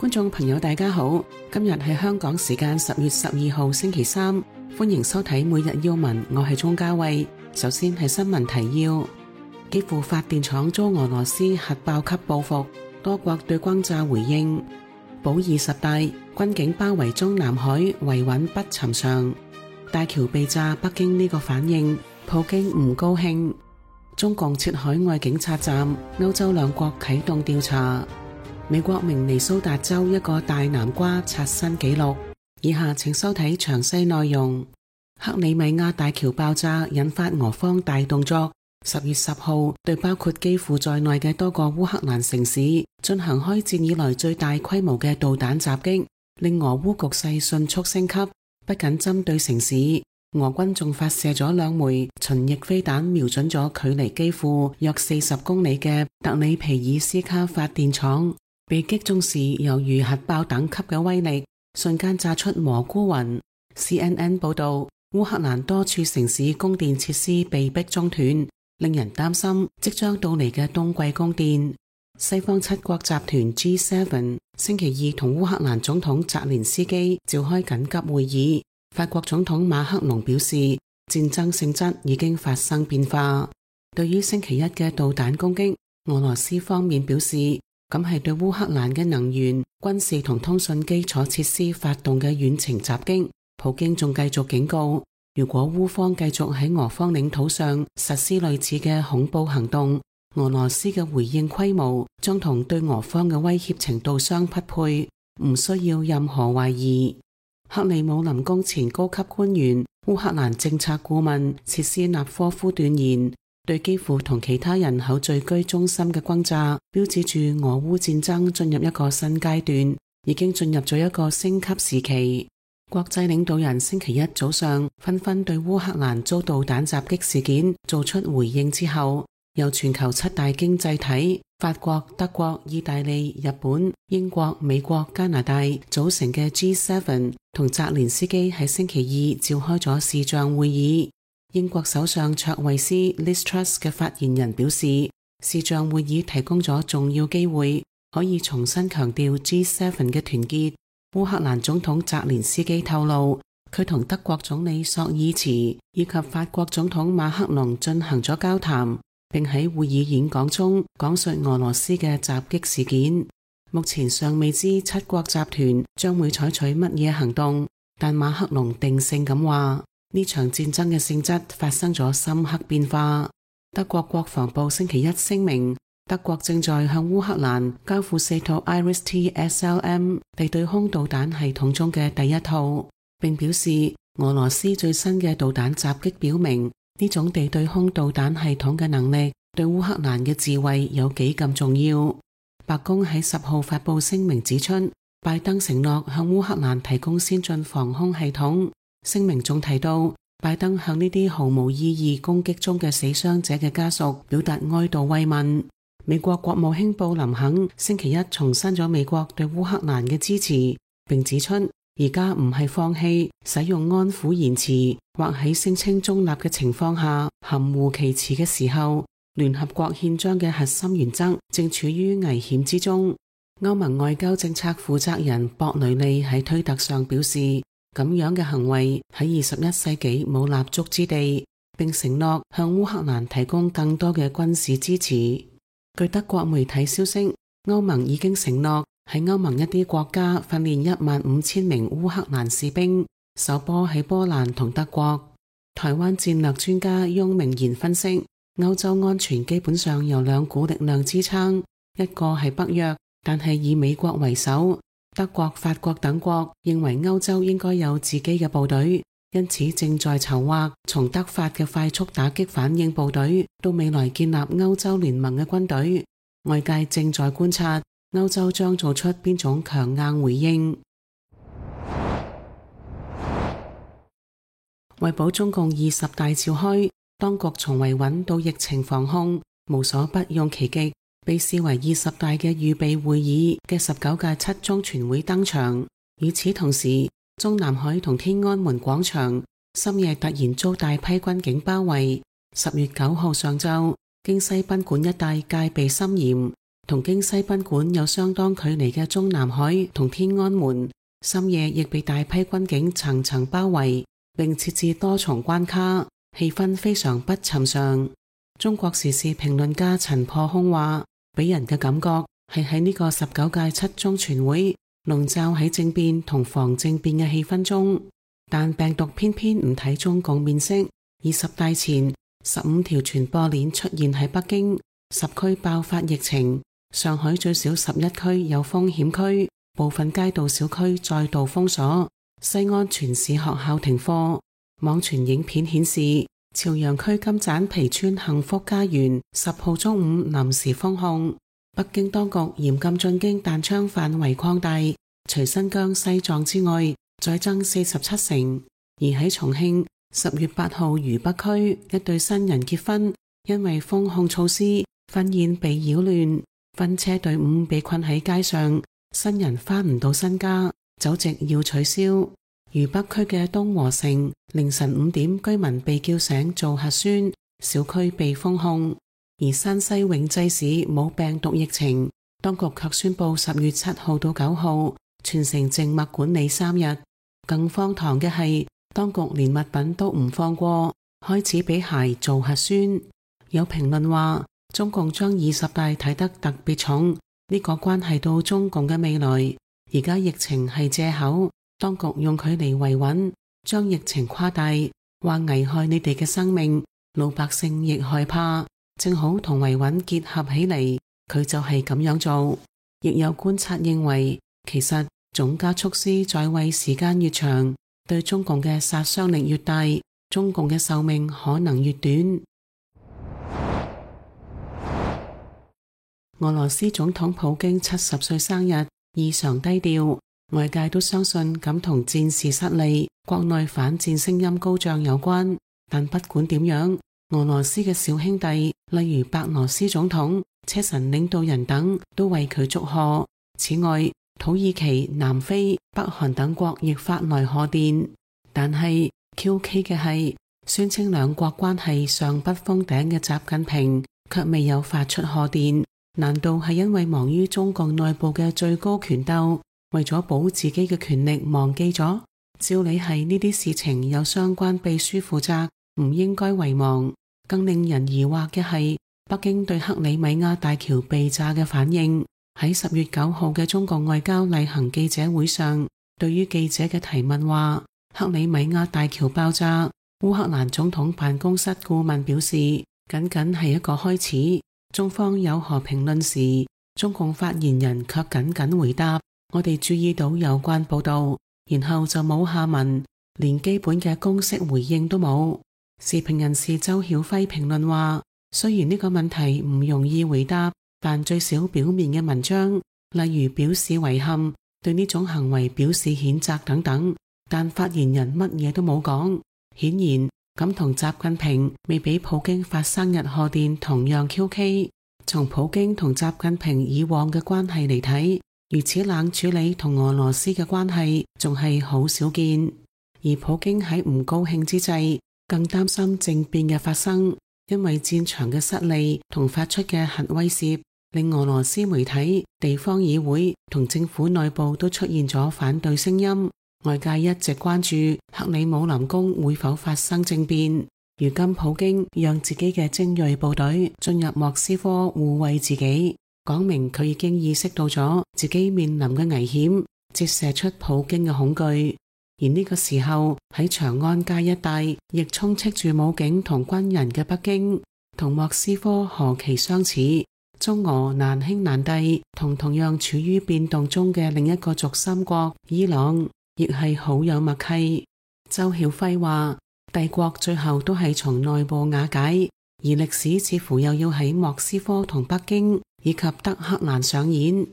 觀眾朋友大家好，今日係香港時間10月12號星期三，歡迎收睇每日要聞，我係鍾嘉慧。首先係新聞提要：基輔發電廠遭俄羅斯核爆級報復，多國對轟炸回應。保20大，軍警包圍中南海，維穩不尋常。大橋被炸，北京呢個反應，普京唔高興。中共設海外警察站，歐洲兩國啟動調查。美國明尼蘇達州一個大南瓜刷新紀錄。以下請收睇詳細內容。克里米亞大橋爆炸引發俄方大動作。10月10號，對包括基輔在內嘅多個烏克蘭城市進行開戰以來最大規模嘅導彈襲擊，令俄烏局勢迅速升級。不僅針對城市，俄軍仲發射咗2枚巡弋飛彈，瞄準咗距離基輔約40公里嘅特里皮爾斯卡發電廠。被擊中時猶如核爆等級嘅威力，瞬間炸出蘑菇雲。CNN 報道，烏克蘭多處城市供電設施被迫中斷，令人擔心即將到嚟嘅冬季供電。西方7國集團 G7 星期二同烏克蘭總統澤連斯基召開緊急會議。法國總統馬克龍表示，戰爭性質已經發生變化。對於星期一嘅導彈攻擊，俄羅斯方面表示，咁係對烏克蘭嘅能源、軍事同通訊基礎設施發動嘅遠程襲擊。普京仲繼續警告，如果烏方繼續喺俄方領土上實施類似嘅恐怖行動，俄羅斯嘅回應規模將同對俄方嘅威脅程度相匹配，唔需要任何懷疑。克里姆林宮前高級官員、烏克蘭政策顧問切斯納科夫斷言，對基輔同其他人口聚居中心嘅轟炸，標誌住俄烏戰爭進入一個新階段，已經進入咗一個升級時期。國際領導人星期一早上紛紛對烏克蘭遭導彈襲擊事件做出回應之後，由全球7大經濟體法國、德國、意大利、日本、英國、美國、加拿大組成嘅 G7 同澤連斯基喺星期二召開咗視像會議。英國首相卓慧思 Liz Truss 嘅發言人表示，視像會議提供咗重要機會，可以重新強調 G7 嘅團結。烏克蘭總統澤連斯基透露，佢同德國總理朔爾茨以及法國總統馬克龍進行咗交談，並喺會議演講中講述俄羅斯嘅襲擊事件。目前尚未知7國集團將會採取乜嘢行動，但馬克龍定性咁話，呢場戰爭嘅性質發生咗深刻變化。德國國防部星期一聲明，德國正在向烏克蘭交付4套 IRIS-T SLM 地對空導彈系統中嘅第一套，並表示俄羅斯最新嘅導彈襲擊表明，呢種地對空導彈系統嘅能力對烏克蘭嘅自衛有幾咁重要。白宮喺10號發布聲明指出，拜登承諾向烏克蘭提供先進防空系統。聲明仲提到，拜登向呢啲毫無意義攻擊中嘅死傷者嘅家屬表達哀悼慰問。美國國務卿布林肯星期一重申咗美國對烏克蘭嘅支持，並指出而家唔係放棄使用安撫言辭或喺聲稱中立嘅情況下含糊其辭嘅時候，聯合國憲章嘅核心原則正處於危險之中。歐盟外交政策負責人博雷利喺推特上表示，咁樣嘅行為喺21世紀冇立足之地，並承諾向烏克蘭提供更多嘅軍事支持。據德國媒體消息，歐盟已經承諾喺歐盟一啲國家訓練15000名烏克蘭士兵，首波喺波蘭同德國。台灣戰略專家翁明賢分析，歐洲安全基本上由2股力量支撐，一個係北約，但係以美國為首，德國、法國等國認為歐洲應該有自己嘅部隊，因此正在籌劃從德法嘅快速打擊反應部隊到未來建立歐洲聯盟嘅軍隊。外界正在觀察歐洲將做出邊種強硬回應。為保中共20大召開，當局從維穩到疫情防控，無所不用其極。被視為20大嘅預備會議嘅19屆7中全會登場。與此同時，中南海同天安門廣場深夜突然遭大批軍警包圍。10月9號上晝，京西賓館一帶戒備森嚴，同京西賓館有相當距離嘅中南海同天安門，深夜亦被大批軍警層層包圍，並設置多重關卡，氣氛非常不尋常。中國時事評論家陳破空話，俾人嘅感覺係喺呢個19屆七中全會籠罩喺政變同防政變嘅氣氛中，但病毒偏偏唔睇中共面色。20大前15條傳播鏈出現喺北京，10區爆發疫情，上海最少11區有風險區，部分街道小區再度封鎖，西安全市學校停課。網傳影片顯示，朝陽區金盞皮村幸福家園10號中午臨時封控。北京當局嚴禁進京彈窗範圍擴大，除新疆、西藏之外，再增47成。而喺重慶10月8號渝北區一對新人結婚，因為封控措施，婚宴被擾亂，婚車隊伍被困喺街上，新人返唔到新家，酒席要取消。渝北區嘅東和城凌晨5點，居民被叫醒做核酸，小區被封控。而山西永濟市冇病毒疫情，當局卻宣布10月7號到9號全城靜默管理3日。更荒唐嘅係，當局連物品都唔放過，開始俾鞋做核酸。有評論話，中共將20大睇得特別重，呢個關係到中共嘅未來。而家疫情係借口，當局用佢嚟維穩，將疫情誇大，話危害你哋嘅生命，老百姓亦害怕，正好同維穩結合起嚟，佢就係咁樣做。亦有觀察認為，其實總加速師在位時間越長，對中共嘅殺傷力越大，中共嘅壽命可能越短。俄羅斯總統普京70歲生日異常低調，外界都相信咁同戰事失利、國內反戰聲音高漲有關。但不管點樣，俄羅斯嘅小兄弟，例如白羅斯總統、車臣領導人等，都為佢祝賀。此外，土耳其、南非、北韓等國亦發來賀電。但係 QK 嘅係，宣稱兩國關係尚不封頂嘅習近平卻未有發出賀電。難道係因為忙於中共內部嘅最高權鬥，為咗保自己嘅權力忘記咗？照理係呢啲事情有相關秘書負責，唔應該遺忘。更令人疑惑嘅係，北京對克里米亞大橋被炸嘅反應。喺10月9號嘅中共外交例行記者會上，對於記者嘅提問話，克里米亞大橋爆炸，烏克蘭總統辦公室顧問表示，僅僅係一個開始。中方有何評論時，中共發言人卻僅僅回答，我哋注意到有關報道，然後就冇下文，連基本嘅公式回應都冇。時評人士周曉輝評論話，雖然呢個問題唔容易回答，但最少表面嘅文章，例如表示遺憾、對呢種行為表示譴責等等，但發言人乜嘢都冇講。顯然咁同習近平未俾普京發生日賀電同樣 QK。從普京同習近平以往嘅關係嚟睇，如此冷處理同俄羅斯嘅關係仲係好少見。而普京喺唔高興之際，更擔心政變嘅發生，因為戰場嘅失利同發出嘅核威懾，令俄羅斯媒體、地方議會同政府內部都出現咗反對聲音。外界一直關注克里姆林宮會否發生政變。如今普京讓自己嘅精銳部隊進入莫斯科護衛自己，講明佢已經意識到咗自己面臨嘅危險，折射出普京嘅恐懼。而呢個時候喺長安街一帶亦充斥住武警同軍人嘅北京，同莫斯科何其相似。中俄難兄難弟，同樣處於變動中嘅另一個軸心國伊朗，亦係好有默契。周曉輝話，帝國最後都係從內部瓦解，而歷史似乎又要喺莫斯科同北京以及德黑蘭上演。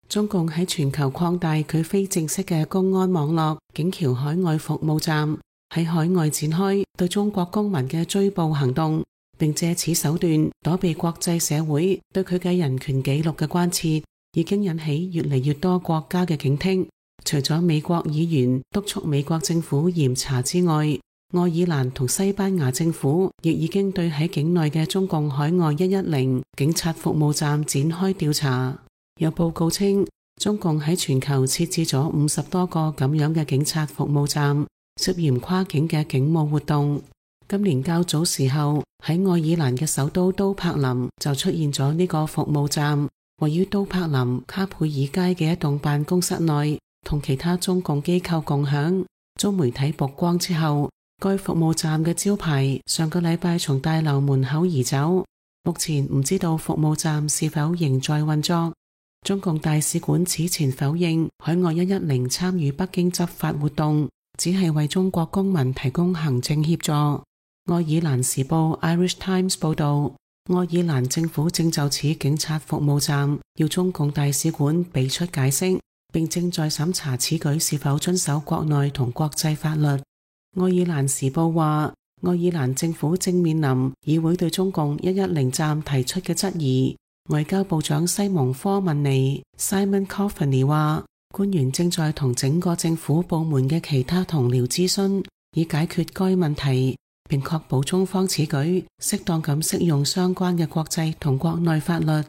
中共喺全球擴大佢非正式嘅公安網絡，警僑海外服務站喺海外展開對中國公民嘅追捕行動，並借此手段躲避國際社會對佢嘅人權紀錄嘅關切，已經引起越嚟越多國家嘅警惕。除咗美國議員督促美國政府嚴查之外，愛爾蘭同西班牙政府亦已經對喺境內嘅中共海外110警察服務站展開調查。有報告稱，中共喺全球設置咗50多個咁樣嘅警察服務站，涉嫌跨境嘅警務活動。今年較早時候，喺愛爾蘭嘅首都都柏林就出現咗呢個服務站，位於都柏林卡佩爾街嘅一棟辦公室內，同其他中共機構共享。遭媒體曝光之後，該服務站嘅招牌上個禮拜從大樓門口移走，目前唔知道服務站是否仍在運作。中共大使館此前否認海外110參與北京執法活動，只係為中國公民提供行政協助。愛爾蘭時報 Irish Times 報道，愛爾蘭政府正就此警察服務站要中共大使館俾出解釋，並正在審查此舉是否遵守國內同國際法律。愛爾蘭時報話，愛爾蘭政府正面臨議會對中共110站提出嘅質疑。外交部長西蒙科文尼 Simon Coveney 話，官員正在同整個政府部門嘅其他同僚諮詢，以解決該問題，並確保中方此舉適當咁適用相關嘅國際同國內法律。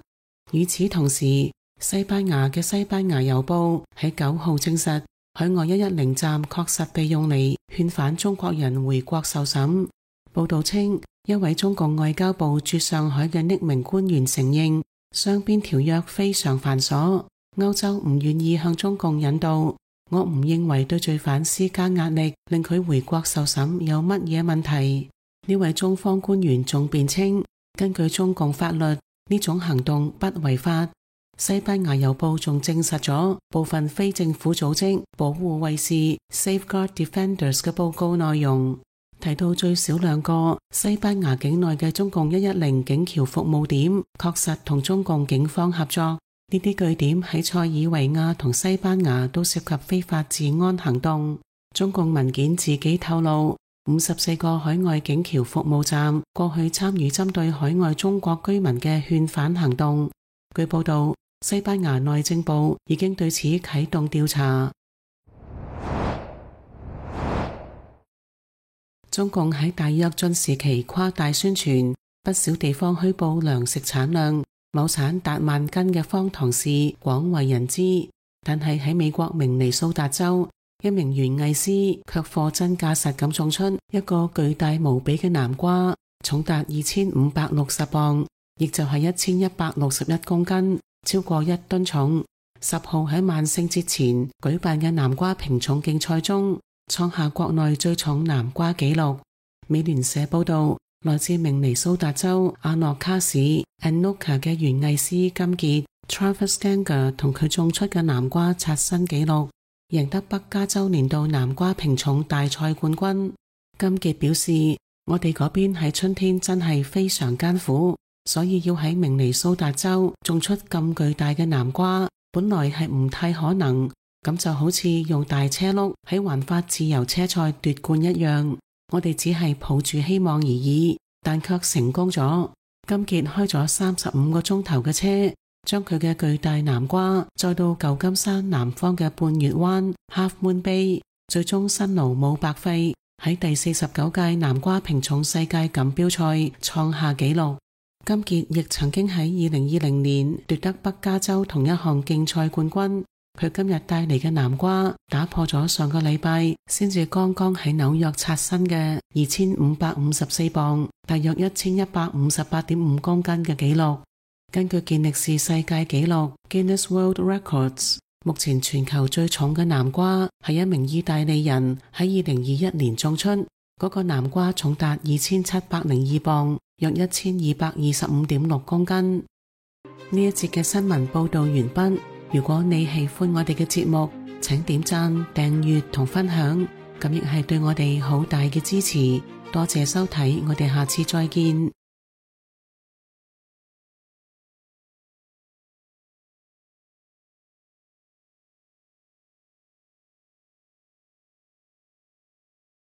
與此同時，西班牙嘅西班牙郵報喺9號證實，海外110站確實被用嚟勸返中國人回國受審。報道稱，一位中共外交部駐上海嘅匿名官員承認，雙邊條約非常繁瑣，歐洲唔願意向中共引導。我唔認為對罪犯施加壓力令佢回國受審有乜嘢問題。呢位中方官員仲辯稱，根據中共法律，呢種行動不違法。西班牙郵報仲證實咗部分非政府組織保護衛士 Safeguard Defenders 嘅報告內容，提到最少2個西班牙境內嘅中共110警僑服務點確實同中共警方合作。呢啲據點喺塞爾維亞同西班牙都涉及非法治安行動。中共文件自己透露，54個海外警僑服務站過去參與針對海外中國居民嘅勸返行動。據報道，西班牙內政部已經對此啟動調查。中共喺大躍進時期誇大宣傳，不少地方虛報糧食產量，畝產達萬斤嘅荒唐事廣為人知。但係喺美國明尼蘇達州，一名園藝師卻貨真價實咁種出一個巨大無比嘅南瓜，重達2560磅，亦就係1161公斤，超過1噸重。10號喺萬聖節前舉辦嘅南瓜評重競賽中，創下國內最重南瓜紀錄。美聯社報道，來自明尼蘇達州阿諾卡市 Anoka 嘅園藝師金傑 Travis Ganger 同佢種出嘅南瓜刷新紀錄，贏得北加州年度南瓜評重大賽冠軍。金傑表示，我哋嗰邊喺春天真係非常艱苦，所以要喺明尼蘇達州種出咁巨大嘅南瓜，本來係唔太可能。咁就好似用大車轆喺環法自由車賽奪冠一樣，我哋只係抱住希望而已，但卻成功咗。金傑開咗35個鐘頭嘅車，將佢嘅巨大南瓜載到舊金山南方嘅半月灣 Half Moon Bay， 最終辛勞冇白費，喺第49屆南瓜評重世界錦標賽創下紀錄。金傑亦曾經喺2020年奪得北加州同一項競賽冠軍。佢今日帶嚟嘅南瓜打破咗上個禮拜先至剛剛喺紐約刷新嘅2554磅，大約1158.5公斤嘅紀錄。根據健力士世界紀錄 Guinness World Records， 目前全球最重嘅南瓜係一名意大利人喺2021年種出，嗰個南瓜重達2702磅，約1225.6公斤。呢一節嘅新聞報道完畢。如果你喜歡我哋嘅節目，請點讚、訂閱同分享，咁亦係對我哋好大嘅支持。多謝收睇，我哋下次再見。